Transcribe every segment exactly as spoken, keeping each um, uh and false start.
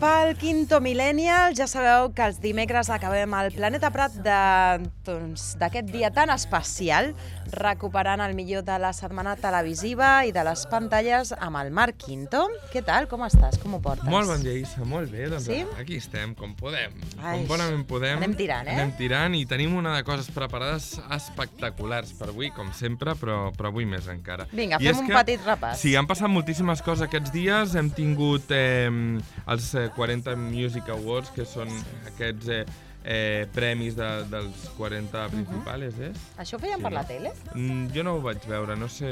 pel Quinto Millennial. Ja sabeu que els dimecres acabem el Planeta Prat d'aquest dia tan especial, recuperant el millor de la setmana televisiva i de les pantalles amb el Marc Quinto. Què tal? Com estàs? Com ho portes? Molt bon dia, Isa. Molt bé. Doncs sí? Aquí estem, com podem. Ai, com bonament podem. Anem tirant, eh? Anem tirant i tenim una de coses preparades espectaculars per avui, com sempre, però, però avui més encara. Vinga, I fem un que, petit repàs. Sí, han passat moltíssimes coses aquests dies. Hem tingut eh, els eh, quaranta Music Awards, que són aquests eh, eh, premis de, dels quaranta principals, uh-huh. és? Això ho feien Sí, per no? la tele? Mm, jo no ho vaig veure, no sé...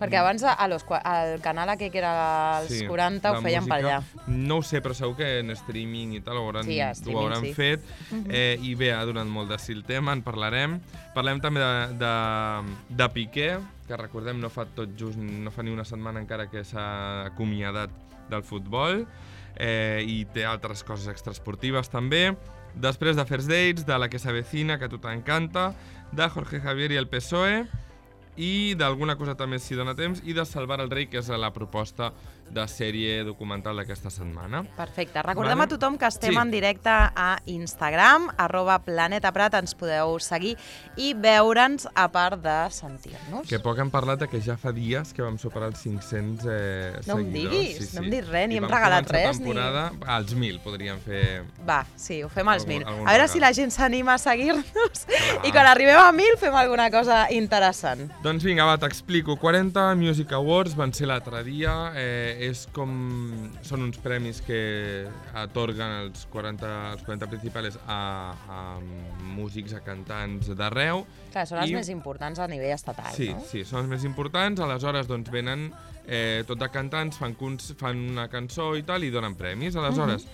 Perquè abans a los, al canal aquell que era als Sí, quaranta ho la feien per allà. música. No ho sé, però segur que en streaming i tal ho hauran, Sí, a ho streaming, hauran sí. fet. Mhm. eh, I bé, ha donat molt de sí el tema, en parlarem. Parlem també de, de, de Piqué, que recordem no fa tot just, no fa ni una setmana encara que s'ha acomiadat del futbol, eh, i té altres coses extraesportives també. Després de First Dates, de La que s'avecina, que a tu t'encanta, de Jorge Javier i el P S O E, i d'alguna cosa també si dona temps, i de Salvar el rei, que és la proposta de sèrie documental d'aquesta setmana. Perfecte. Recordem Vale. a tothom que estem Sí. en directe a Instagram, arroba Planeta Prat, ens podeu seguir i veure'ns a part de sentir-nos. Que poc hem parlat de que ja fa dies que vam superar els cinc-cents eh, No em seguidors. diguis, no em diguis res, ni I hem vam regalat començar res, ni- temporada, als mil podríem fer... Va, sí, ho fem als Algun- mil. algun A veure regal. si la gent s'anima a seguir-nos Clar. i quan arribem a mil fem alguna cosa interessant. Doncs vinga, va, t'explico. quaranta Music Awards van ser l'altre dia. Eh, és com... Són uns premis que atorguen els quaranta, els quaranta principals a, a músics, a cantants d'arreu. Clar, són els I- més importants a nivell estatal, Sí, no? sí, són els més importants. Aleshores, doncs, venen eh, tot de cantants, fan, cons- fan una cançó i tal, i donen premis. Aleshores,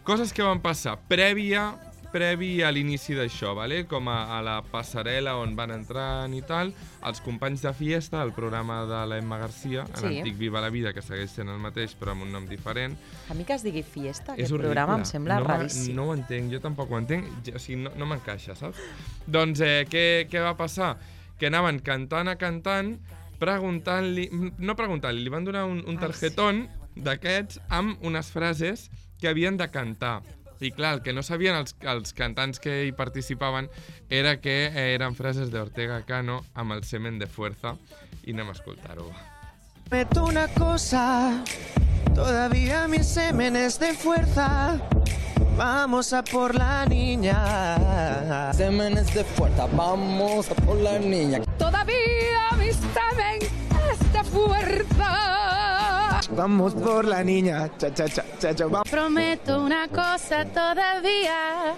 coses que van passar prèvia, previ a l'inici d'això, vale? Com a, a la passarel·la on van entrant i tal, els companys de Fiesta, el programa de l'Emma Garcia, Sí. l'antic Viva la Vida, que segueix sent el mateix, però amb un nom diferent. A mi que es digui Fiesta, És aquest horrible. programa em sembla no m'ha- raríssim. No ho entenc, jo tampoc ho entenc, ja- o sigui, no, no m'encaixa, saps? Doncs eh, què, què va passar? Que anaven cantant a cantant, preguntant-li, no preguntant-li, li van donar un, un Ai, tarjetón d'aquests amb unes frases que havien de cantar. I clar, el que no sabien els, els cantants que hi participaven era que eh, eren frases d'Ortega Cano amb el semen de fuerza, i anem a escoltar-ho. Prometo una cosa, todavía mi semen es de fuerza. Vamos a por la niña. Semen es de fuerza, vamos a por la niña. Todavía mi semen es de fuerza. Vamos por la niña. Cha, cha, cha, cha, cha. Vamos. Prometo una cosa todavía.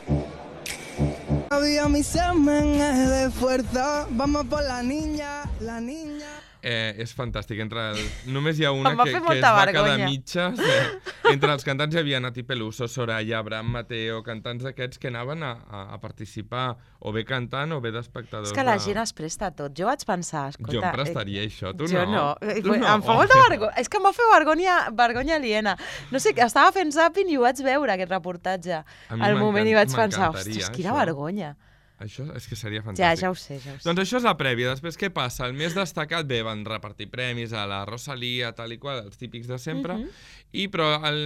Todavía mi semen es de fuerza. Vamos por la niña, la niña. Eh, és fantàstic. Entre el... Només hi ha una Em va que, fer que es molta va quedar vergonya. mitges. Eh, entre els cantants hi havia Nati Peluso, Soraya, Abraham Mateo, cantants d'aquests que anaven a, a, a participar o bé cantant o bé d'espectadors. És que la de- gent es presta a tot. Jo vaig pensar, escolta... Jo em prestaria això, tu jo no. no. Tu no. Em fa molta vergonya. És que em va fer vergonya, vergonya aliena. No sé, estava fent zapping i ho vaig veure, aquest reportatge. A mi Al moment i vaig pensar, m'encantaria, ostres, quina això. vergonya. Això és que seria Ja, fantàstic. ja ho sé, ja ho sé. Doncs això és la prèvia. Després què passa? El més destacat, bé, van repartir premis a la Rosalía, tal i qual, els típics de sempre, Mhm. i però el,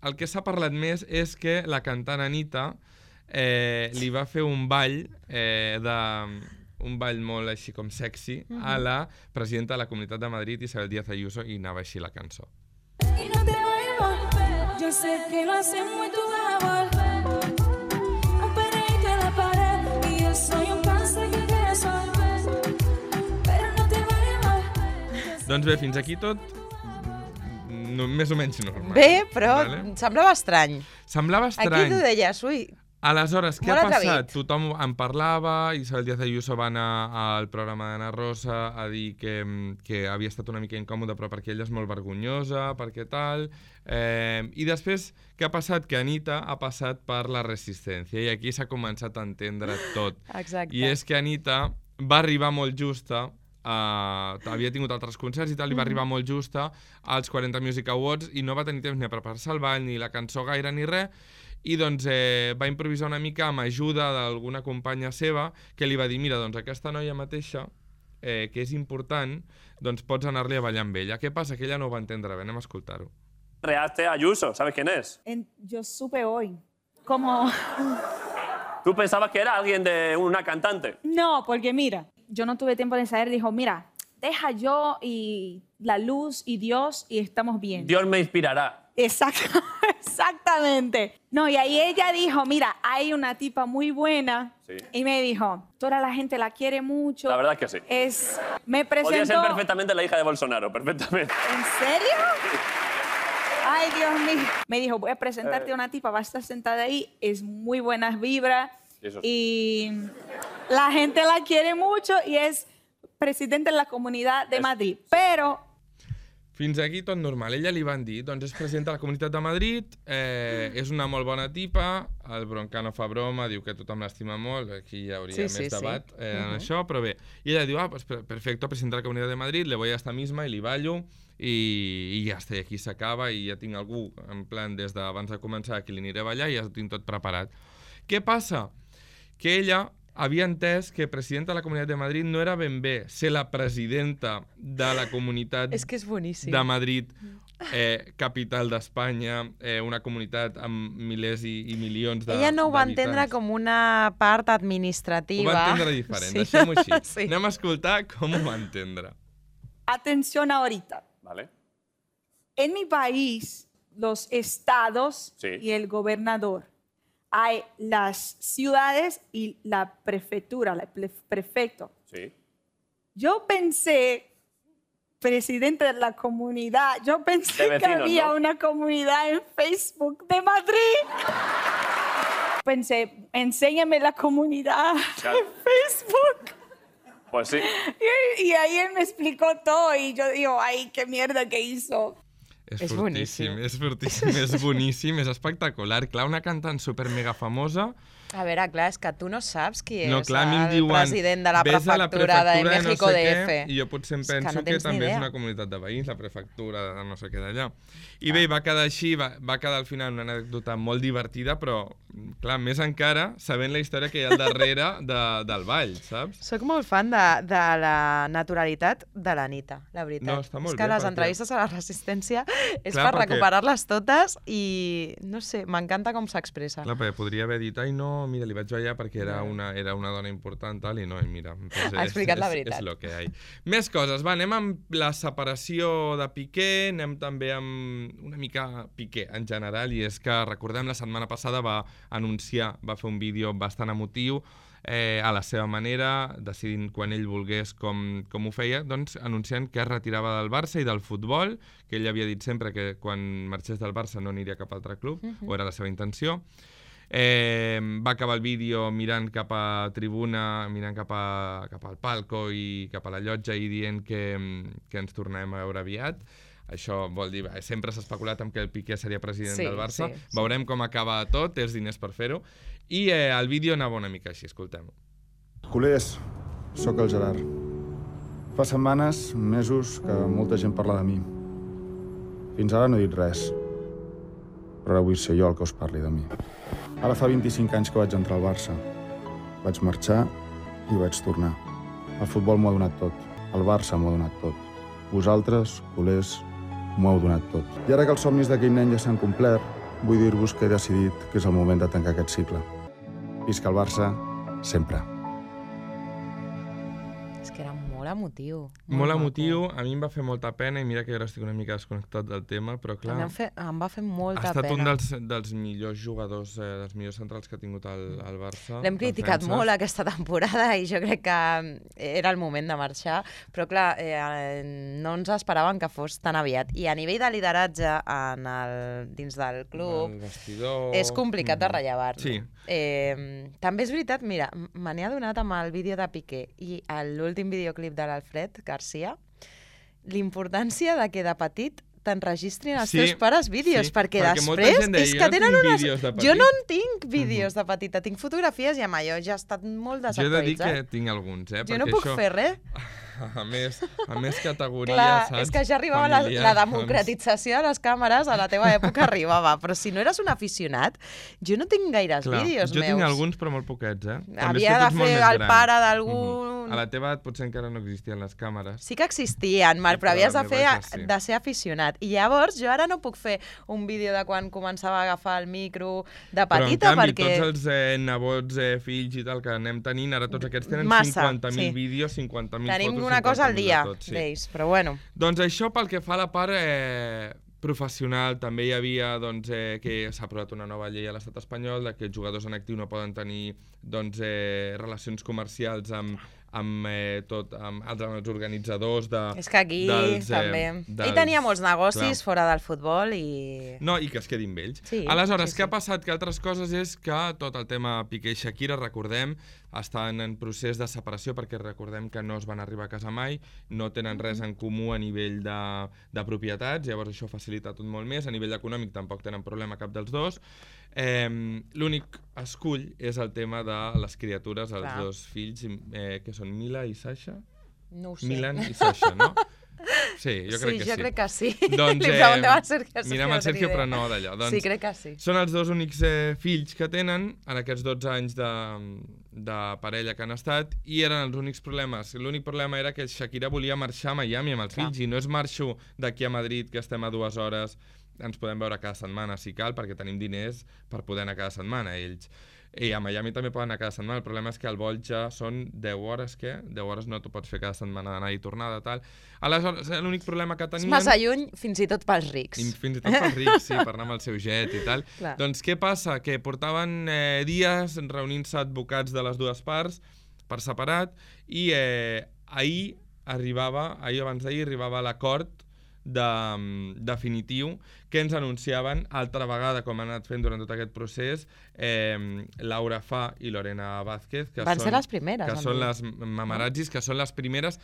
el que s'ha parlat més és que la cantant Anita eh, li va fer un ball eh, de un ball molt així com sexy a la presidenta de la Comunitat de Madrid, Isabel Díaz Ayuso, i anava així la cançó. Y no te voy a volver. Yo sé que lo hacemos y tú vas a volver. Un perrito en la pared y yo soy un cáncer que quiere resolver. Pero no te voy a volver. Doncs bé, fins aquí tot no, més o menys normal. Bé, però Vale? em semblava estrany. Semblava Aquí estrany. tu deies, ui, Aleshores, què Molt ha passat? atrevit. Tothom en parlava, Isabel Díaz Ayuso va anar al programa d'Anna Rosa a dir que, que havia estat una mica incòmode, però perquè ella és molt vergonyosa, perquè tal... Eh, I després, què ha passat? Que Anita ha passat per la resistència, i aquí s'ha començat a entendre tot. exacte. I és que Anita va arribar molt justa, uh, havia tingut altres concerts i tal, i va arribar molt justa als quaranta Music Awards, i no va tenir temps ni a preparar-se el ball, ni la cançó gaire, ni res, i doncs eh, va improvisar una mica amb ajuda d'alguna companya seva que li va dir, mira, doncs aquesta noia mateixa, eh, que és important, doncs pots anar-li a ballar amb ella. Què passa? Que ella no ho va entendre bé, anem a escoltar-ho. reaste a Ayuso. ¿Sabes quién es? En- yo supe hoy. Como... ¿Tú pensabas que era alguien de una cantante? No, porque mira, yo no tuve tiempo de ensayar. Dijo, mira, deja yo y la luz y Dios y estamos bien. Dios me inspirará. Exacto, exactamente. No, y ahí ella dijo, mira, hay una tipa muy buena. Sí. Y me dijo, toda la gente la quiere mucho. La verdad es que sí. Es, me Podría ser presentó... perfectamente la hija de Bolsonaro, perfectamente. ¿En serio? Ay, Dios mío. Me dijo, voy a presentarte a una tipa, va a estar sentada ahí, es muy buenas vibras Eso sí. y la gente la quiere mucho y es presidente de la Comunidad de Es- Madrid. Pero Fins aquí tot normal. Ella li van dir, doncs és presidenta de la Comunitat de Madrid, eh, és una molt bona tipa, el Broncano fa broma, diu que tothom l'estima molt, aquí hi hauria Sí, més sí, sí. debat eh, en Uh-huh. això, però bé. I ella diu, ah, pues per- perfecto, presidenta de la Comunitat de Madrid, le voy a esta misma i li ballo, i, i ja està, i aquí s'acaba, i ja tinc algú, en plan, des d'abans de començar, que li aniré a ballar, i ja ho tinc tot preparat. Què passa? Que ella havia entès que presidenta de la Comunitat de Madrid no era ben bé ser la presidenta de la Comunitat És que és boníssim. de Madrid, eh, capital d'Espanya, eh, una comunitat amb milers i, i milions de Ella no ho va entendre d'habitants. com una part Ho administrativa. va entendre diferent, Sí. deixem-ho així. Sí. Anem a escoltar com ho va entendre. atención ahorita. ¿Vale? En mi país, los estados Sí. y el gobernador. Hay las ciudades y la prefectura, el pre- prefecto. Sí. Yo pensé, presidente de la comunidad, yo pensé De que vecinos, había ¿no? una comunidad en Facebook de Madrid. Pensé, enséñame la comunidad Claro. en Facebook. Pues sí. Y, y ahí él me explicó todo y yo digo, ay, qué mierda que hizo. És, És fortíssim, boníssim. és fortíssim, és boníssim, és espectacular. Clar, una cantant super mega famosa. A veure, clar, és que tu no saps qui és No, clar, a mi em el diuen, president de la "Ves a la prefectura de prefectura México no sé D què", F. I jo potser em És que penso no que, tens ni també és idea. una comunitat de veïns, la prefectura de no sé què d'allà. I bé, va quedar així, va, va quedar al final una anècdota molt divertida, però, clar, més encara sabent la història que hi ha al darrere de, del ball, saps? Soc molt fan de, de la naturalitat de l'Anita, la veritat. No, està molt és que bé, les perquè- entrevistes a la Resistència és Clar, per perquè- recuperar-les totes i, no sé, m'encanta com s'expressa. Clar, perquè podria haver dit, ai no, mira, li vaig ballar perquè era una, era una dona important, tal, i no, i mira, doncs Ha explicat és, la és, veritat. és lo que hi ha. Més coses, va, anem amb la separació de Piqué, anem també amb una mica Piqué en general, i és que, recordem, la setmana passada va anunciar, va fer un vídeo bastant emotiu, eh, a la seva manera, decidint quan ell volgués com, com ho feia, doncs anunciant que es retirava del Barça i del futbol, que ell havia dit sempre que quan marxés del Barça no aniria a cap altre club, Mhm. o era la seva intenció. Eh, va acabar el vídeo mirant cap a tribuna, mirant cap, a, cap al palco i cap a la llotja i dient que, que ens tornarem a veure aviat. Això vol dir, eh, sempre s'ha especulat amb que el Piqué seria president Sí, del Barça. sí, sí. Veurem com acaba tot, té els diners per fer-ho. I eh, el vídeo anava una mica així, escoltem-ho. Culers, sóc el Gerard. Fa setmanes, mesos, que molta gent parla de mi. Fins ara no he dit res. Però ara vull ser jo el que us parli de mi. Ara fa vint-i-cinc anys que vaig entrar al Barça. Vaig marxar i vaig tornar. El futbol m'ho ha donat tot. El Barça m'ho ha donat tot. Vosaltres, culers, m'ho heu donat tot. I ara que els somnis d'aquell nen ja s'han complert, vull dir-vos que he decidit que és el moment de tancar aquest cicle. Visca el Barça, sempre. És que era molt emotiu. Molt maco. emotiu, a mi em va fer molta pena i mira que jo ara estic una mica desconnectat del tema, però clar... A mi em, fe, em va fer molta ha estat pena. un dels, dels millors jugadors, eh, dels millors centrals que ha tingut el, el Barça. L'hem criticat defenses. molt aquesta temporada i jo crec que era el moment de marxar, però clar, eh, no ens esperaven que fos tan aviat. I a nivell de lideratge en el, dins del club El vestidor... és complicat de rellevar-lo. Sí. Eh, també és veritat, mira, me n'he adonat amb el vídeo de Piqué i l'últim videoclip de l'Alfred Garcia, l'importància de que de petit t'enregistrin els Sí, teus pares vídeos, sí, perquè, perquè molta després gent deia, és "Jo que no tenen tinc unes... vídeos de Jo no petit." en tinc vídeos de petita, tinc fotografies i amb allò ja ha estat molt Jo he de dir desactualitzat. que tinc alguns, eh? Jo no perquè puc això, fer res. A més, a més categoria, Clar, saps? és que ja arribava la, Familiar, la doncs. democratització de les càmeres, a la teva època arribava, però si no eres un aficionat, jo no tinc gaires Clar, vídeos jo meus. tinc alguns, però molt poquets, eh? També és Havia que tu de ets molt fer més el gran. pare d'algun... Mhm. A la teva edat potser encara no existien les càmeres. Sí que existien, Marc, però Però havies la de, meva fer, ja sí. de ser aficionat. I llavors jo ara no puc fer un vídeo de quan començava a agafar el micro de Però en petita, canvi, perquè... tots els eh, nebots, eh, fills i tal que anem tenint, ara tots aquests tenen Massa, cinquanta mil sí. vídeos, cinquanta mil Tenim fotos, una cosa al cinquanta mil dia de tot, sí. d'ells, però bueno. Doncs això pel que fa a la part eh, professional, també hi havia doncs, eh, que s'ha aprovat una nova llei a l'estat espanyol de que els jugadors en actiu no poden tenir doncs, eh, relacions comercials amb amb eh, tot, amb, amb els organitzadors de... És que aquí dels, eh, també... dels, Ell tenia molts negocis clar. fora del futbol i... No, i que es quedin vells. Sí, Aleshores, sí, què sí. ha passat? Que altres coses és que tot el tema Piqué i Shakira, recordem, estan en procés de separació perquè recordem que no es van arribar a casa mai, no tenen res en comú a nivell de, de propietats, llavors això facilita tot molt més, a nivell econòmic tampoc tenen problema cap dels dos. Eh, L'únic escull és el tema de les criatures, els Clar. dos fills, eh, que són Mila i Sasha? No ho sé. Milan i Sasha, no? Sí, jo crec sí, que jo sí. crec que sí. Doncs, Li preguntem al Sergio. mirem al Sergio, però no d'allò. Doncs, sí, crec que sí. Són els dos únics eh, fills que tenen en aquests dotze anys de, de parella que han estat i eren els únics problemes. L'únic problema era que Shakira volia marxar a Miami amb els Clar. fills i no és marxo d'aquí a Madrid, que estem a dues hores, ens podem veure cada setmana si cal, perquè tenim diners per poder anar cada setmana ells. I a Miami també poden anar cada setmana, el problema és que el vol ja són deu hores, què? deu hores no t'ho pots fer cada setmana d'anar i tornada, tal. Aleshores, l'únic problema que És tenien... massa lluny fins i tot pels rics. I fins i tot pels rics, sí, per anar amb el seu jet i tal. Clar. Doncs què passa? Que portaven eh, dies reunint-se advocats de les dues parts per separat i eh, ahir arribava, ahir abans d'ahir arribava l'acord de, definitiu que ens anunciaven altra vegada, com han anat fent durant tot aquest procés, eh, Laura Fa i Lorena Vázquez, que Van són, ser les primeres. que han són dit. les mamarazzis, que són les primeres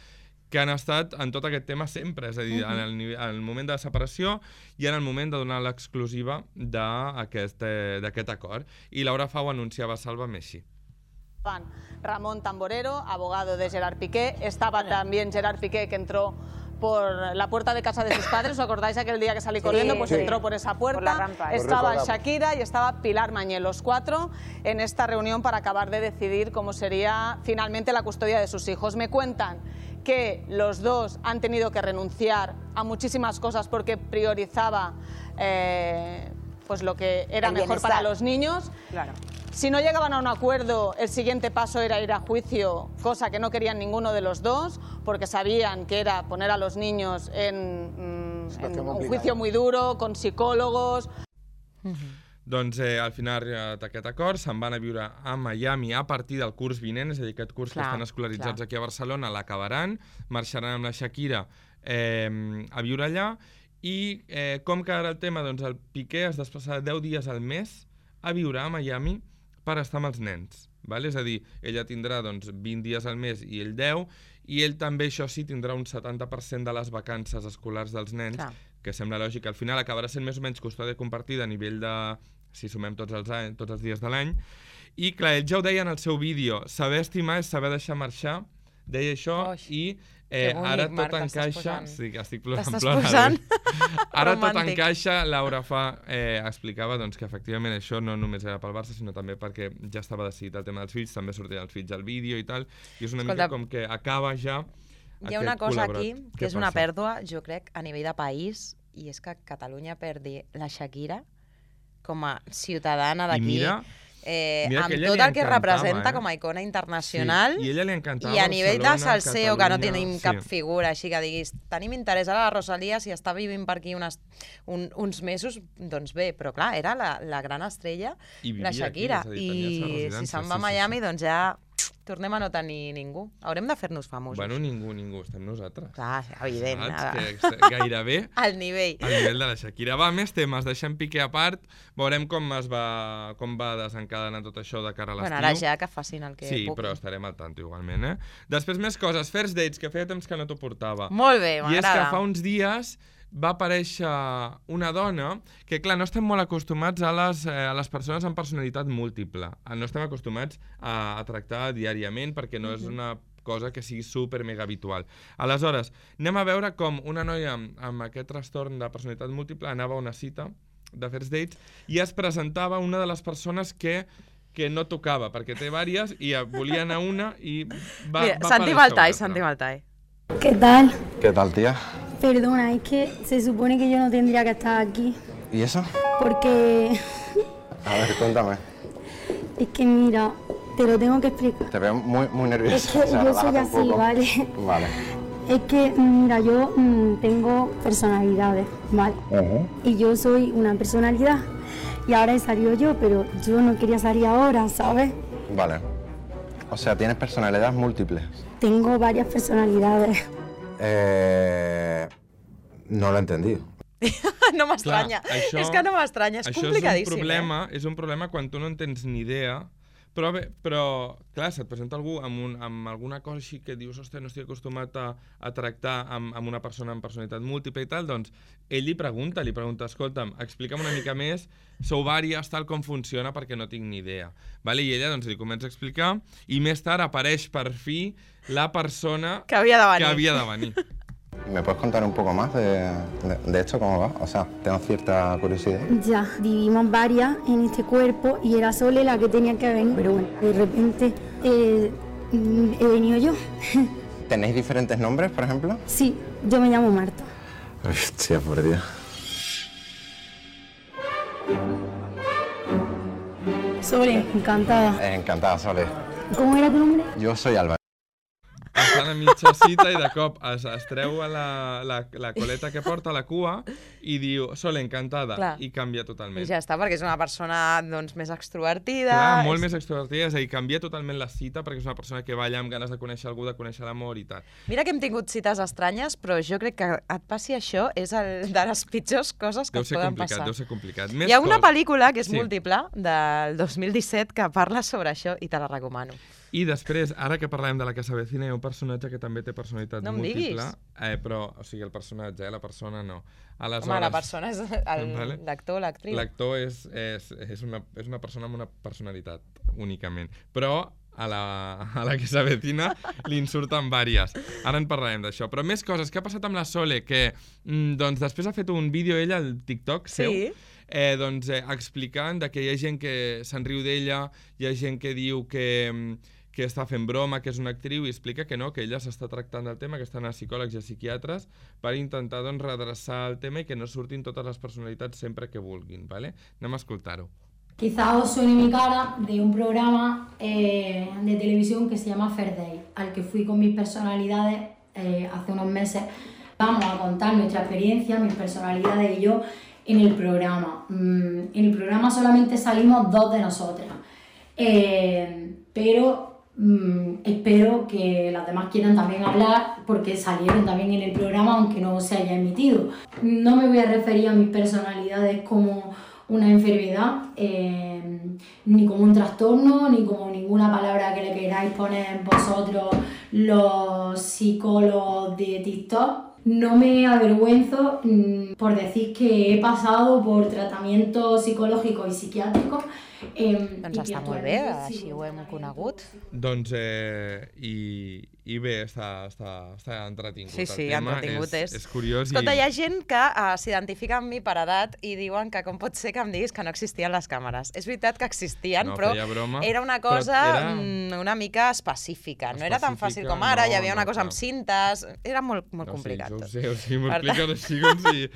que han estat en tot aquest tema sempre, és a dir, Mhm. en, el, nivell- en el moment de la separació i en el moment de donar l'exclusiva d'aquest eh, d'aquest acord. I Laura Fa ho anunciava a Salva-me així. Ramón Tamborero, abogado de Gerard Piqué. Estaba también Gerard Piqué, que entró por la puerta de casa de sus padres. ¿Os acordáis aquel día que salí Sí, corriendo? Pues sí. entró por esa puerta. Por la rampa. Estaba Lo recordamos. Shakira y estaba Pilar Mañé, los cuatro en esta reunión para acabar de decidir cómo sería finalmente la custodia de sus hijos. Me cuentan que los dos han tenido que renunciar a muchísimas cosas porque priorizaba eh, pues lo que era El mejor bienestar. para los niños. Claro. Si no llegaban a un acuerdo, el siguiente paso era ir a juicio, cosa que no querían ninguno de los dos, porque sabían que era poner a los niños en, mm, en un juicio muy duro, con psicólogos. Doncs eh, al final ha arribat aquest acord, se'n van a viure a Miami a partir del curs vinent, és a dir, aquest curs Clar, que estan escolaritzats clar. aquí a Barcelona l'acabaran, marxaran amb la Shakira eh, a viure allà i eh, com quedarà el tema? Doncs el Piqué es desplaçarà deu dies al mes a viure a Miami per estar amb els nens. Val? És a dir, ella tindrà doncs, vint dies al mes i ell deu, i ell també, això sí, tindrà un setanta per cent de les vacances escolars dels nens, Clar. que sembla lògic. Al final acabarà sent més o menys custòdia compartida a nivell de, si sumem tots els, anys, tots els dies de l'any. I clar, ell ja ho deia en el seu vídeo, saber estimar és saber deixar marxar, deia això, Oix, i que eh, bonic, ara Marc, tot t'estàs encaixa... posant. Sí, que estic plorant. T'estàs plorant. posant Ara tot romàntic. encaixa, Laura Fa eh, explicava doncs, que efectivament això no només era pel Barça, sinó també perquè ja estava decidit el tema dels fills, també sortien els fills al vídeo i tal, i és una Escolta, mica com que acaba ja Hi ha una cosa aquí que Què és una passa? pèrdua, jo crec, a nivell de país, i és que Catalunya perdi la Shakira com a ciutadana I d'aquí, mira, eh, mira que amb ella tot li el que encantava, representa eh? com a icona internacional. Sí, i ella li encantava I a nivell de Barcelona, salseo, que no Catalunya, tenim sí. cap figura així que diguis, tenim interès a la Rosalia, si està vivint per aquí unes, un, uns mesos, doncs bé, però clar, era la, la gran estrella, I vivia la Shakira, aquí, és a dir, tenia la seva i si residència, se'n va sí, a sí, Miami, sí. doncs ja tornem a no tenir ningú. Haurem de fer-nos famosos. Bueno, ningú, ningú, estem nosaltres. Clar, evident. Saps? nada. Que est- gairebé Al nivell. al nivell de la Shakira. Va, més temes, deixem Piqué a part, veurem com es va, com va desencadenar tot això de cara a l'estiu. Bueno, ara ja que facin el que Sí, puguin. però estarem al tanto igualment, eh? Després més coses, First Dates, que feia temps que no t'ho portava. Molt bé, I és que m'agrada. fa uns dies va aparèixer una dona que, clar, no estem molt acostumats a les, eh, a les persones amb personalitat múltiple. No estem acostumats a, a tractar diàriament perquè no és una cosa que sigui super mega habitual. Aleshores, anem a veure com una noia amb, amb aquest trastorn de personalitat múltiple anava a una cita de First Dates i es presentava una de les persones que que no tocava, perquè té vàries i volia anar a una i va, Mira, va Santi aparèixer Maltai, una Santi altra. Maltai. ¿Qué tal? ¿Qué tal, tía? Perdona, es que se supone que yo no tendría que estar aquí. ¿Y eso? Porque... A ver, cuéntame. Es que mira, te lo tengo que explicar. Te veo muy, muy nerviosa. Es que o sea, yo soy relájate un así, poco. ¿vale? Vale. Es que, mira, yo mm, tengo personalidades, ¿vale? Uh-huh. Y yo soy una personalidad. Y ahora he salido yo, pero yo no quería salir ahora, ¿sabes? Vale. O sea, tienes personalidades múltiples. Tengo varias personalidades. Eh... No lo he entendido. No m'estranya. això- És que no m'estranya, és Això complicadíssim. és un problema, és un problema quan tu no en tens ni idea, però, bé, però clar, se't presenta algú amb, un, amb alguna cosa així que dius, ostres, no estic acostumat a, a tractar amb, amb una persona amb personalitat múltiple i tal, doncs ell li pregunta, li pregunta, escolta'm, explica'm una mica més, sou vàries, tal com funciona, perquè no tinc ni idea. Vale? I ella doncs, li comença a explicar, i més tard apareix per fi la persona Que havia de venir. Que havia de venir. ¿Me puedes contar un poco más de, de, de esto, cómo va? O sea, tengo cierta curiosidad. Ya, vivimos varias en este cuerpo y era Sole la que tenía que venir. Pero bueno, de repente eh, mm, he venido yo. ¿Tenéis diferentes nombres, por ejemplo? Sí, yo me llamo Marta. Hostia, por Dios. Sole, encantada. Eh, encantada, Sole. ¿Cómo era tu nombre? Yo soy Álvaro. Estan a mitja cita i de cop es, es treu a la, la, la coleta que porta a la cua i diu, Sole, encantada, Clar. i canvia totalment. I ja està, perquè és una persona doncs, més extrovertida. Clar, molt és... més extrovertida, és a dir, canvia totalment la cita perquè és una persona que balla amb ganes de conèixer algú, de conèixer l'amor i tal. Mira que hem tingut cites estranyes, però jo crec que et passi això és el de les pitjors coses que Deu et ser poden complicat, passar. deu ser complicat. Més Hi ha una cos- pel·lícula que és Sí. múltiple, del dos mil disset, que parla sobre això i te la recomano. I després, ara que parlem de la que s'avecina, hi ha un personatge que també té personalitat No em múltiple, diguis. eh, però, o sigui, el personatge, eh, la persona no. Aleshores, Home, la persona és el- Vale. l'actor, l'actriu. L'actor és, és, és, una, és una persona amb una personalitat, únicament. Però a la, a la que s'avecina li en surten vàries. Ara en parlarem d'això. Però més coses. Què ha passat amb la Sole? Que mm, doncs, després ha fet un vídeo ella al TikTok seu, Sí. eh, doncs, eh, explicant de que hi ha gent que se'n riu d'ella, hi ha gent que diu que, mm, que està fent broma, que és una actriu, i explica que no, que ella s'està tractant del tema, que estan a psicòlegs i a psiquiatres per intentar doncs, redreçar el tema i que no surtin totes les personalitats sempre que vulguin. ¿Vale? Anem a escoltar-ho. Quizás os suene mi cara de un programa eh, de televisión que se llama Fair Day, al que fui con mis personalidades eh, hace unos meses. Vamos a contar nuestra experiencia, mis personalidades y yo en el programa. Mm, en el programa solamente salimos dos de nosotras, eh, pero mm, espero que las demás quieran también hablar porque salieron también en el programa aunque no se haya emitido. No me voy a referir a mis personalidades como una enfermedad, eh, ni como un trastorno, ni como ninguna palabra que le queráis poner vosotros los psicólogos de TikTok. No me avergüenzo mmm, por decir que he pasado por tratamientos psicológicos y psiquiátricos. Eh, Doncs està molt bé, així ho hem conegut. Doncs, eh, i, i bé, està, està, està entretingut. Sí, sí, el tema entretingut és. és. És curiós. Escolta, i... hi ha gent que uh, s'identifica amb mi per edat i diuen que com pot ser que em diguis que no existien les càmeres. És veritat que existien, No, però feia broma, era una però cosa era- mm, una mica específica. No era tan fàcil Específica, com ara, no, hi havia una no, cosa amb clar. cintes, era molt, molt No, complicat sí, tot. ho sé, o sigui, m'ho Per expliques tant- així com si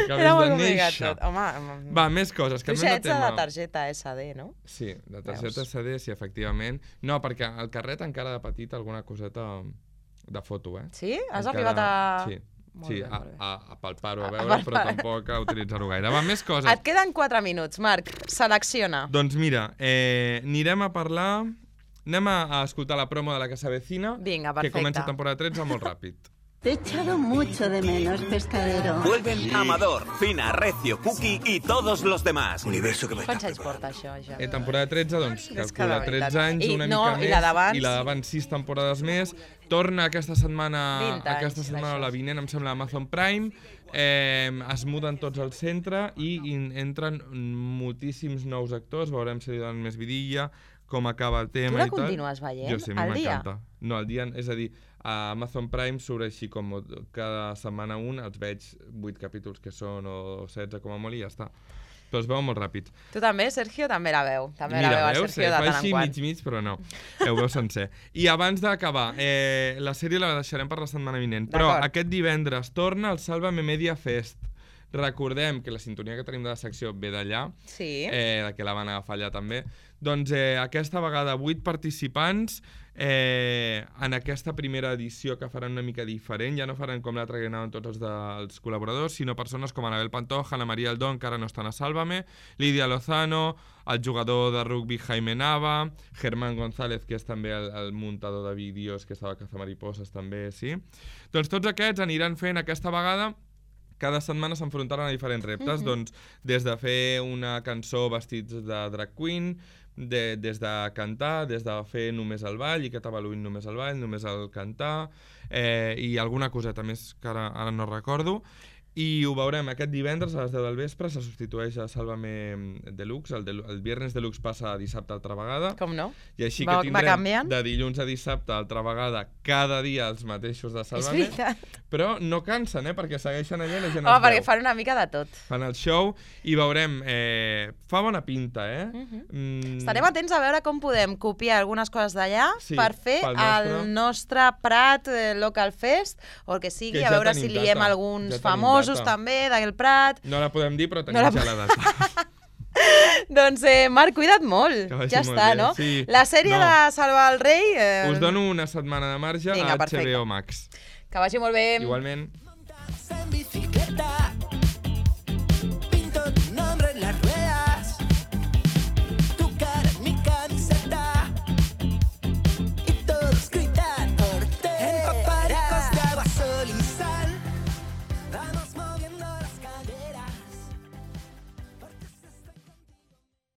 acabés Era molt de complicat néixer. tot. Home, Va, més coses, tu canviem ja de ets tema. de targeta S D, no? Sí, de targeta Veus. S D, sí, efectivament. No, perquè al carret encara de petit alguna coseta de foto, eh? Sí? Has Encara- arribat a- Sí, Molt sí bé, a, molt bé. a, a palpar-ho, a A veure, però palpar. tampoc a utilitzar-ho gaire. Va, més coses. Et queden quatre minuts, Marc. Selecciona. Doncs mira, eh, anirem a parlar... Anem a, a escoltar la promo de la que s'avecina, Vinga, que perfecte. comença temporada tretze molt ràpid. Te he echado mucho de menos, pescadero. Vuelven Amador, Fina, Recio, Cookie y todos los demás. Universo que Quants anys porta això, ja? Eh, temporada tretze, doncs, És que calcula de tretze veritat. anys, I una no, mica i més. la d'abans? I la d'abans sis temporades més. Torna aquesta setmana, vint anys aquesta setmana o la vinent, em sembla, a Amazon Prime. Eh, es muden tots al centre i in, entren moltíssims nous actors. Veurem si li donen més vidilla, com acaba el tema la i tal. continues veient Jo sí, a mi al dia? m'encanta. No, al dia, és a dir, a Amazon Prime surt així com cada setmana un, els veig vuit capítols que són o setze com a molt i ja està. però es veu molt ràpid. Tu també, Sergio, també la veu. També Mira, la veu el veus? Sergio de tant en Fa quant. així mig-mig, però no. Ho veu sencer. I abans d'acabar, eh, la sèrie la deixarem per la setmana vinent, però aquest divendres torna el Sálvame Media Fest. Recordem que la sintonia que tenim de la secció ve d'allà, sí. eh, que la van agafar allà també. Doncs eh, aquesta vegada vuit participants eh, en aquesta primera edició que faran una mica diferent. Ja no faran com l'altra que anaven tots els dels col·laboradors, sinó persones com Anabel Pantoja, Ana María Aldón, que ara no estan a Sálvame, Lídia Lozano, el jugador de rugby Jaime Nava, Germán González, que és també el, el muntador de vídeos, que estava a Cazamariposas també, sí. Doncs tots aquests aniran fent aquesta vegada. Cada setmana s'enfrontaran a diferents reptes, Mhm. doncs des de fer una cançó vestits de drag queen, de, des de cantar, des de fer només el ball i que t'avaluïn només el ball, només el cantar, eh, i alguna coseta més que ara, ara no recordo. I ho veurem aquest divendres a les deu del vespre, se substitueix a Sálvame Deluxe, el, de, el Viernes Deluxe passa a dissabte altra vegada. Com no? I així Va- que va tindrem canviant? de dilluns a dissabte altra vegada cada dia els mateixos de Sálvame. És veritat. Però no cansen, eh? Perquè segueixen allà i la gent Home, els perquè veu. fan una mica de tot. Fan el show i veurem... Eh, fa bona pinta, eh? Mhm. Mm, Estarem atents a veure com podem copiar algunes coses d'allà Sí, per fer pel nostre. el nostre Prat eh, Local Fest, o el que sigui, Que a ja veure tenim si liem data, alguns ja tenim famosos data. també d'aquell Prat. No la podem dir, però tenim No la ja la data. Doncs, eh, Marc, cuida't molt. Que vagi Ja molt està, bé, no? sí. La sèrie No. de Salvar el Rei... Eh, Us dono una setmana de marge Vinga, a H B perfecte. O Max. Que vagi molt bé. Igualment.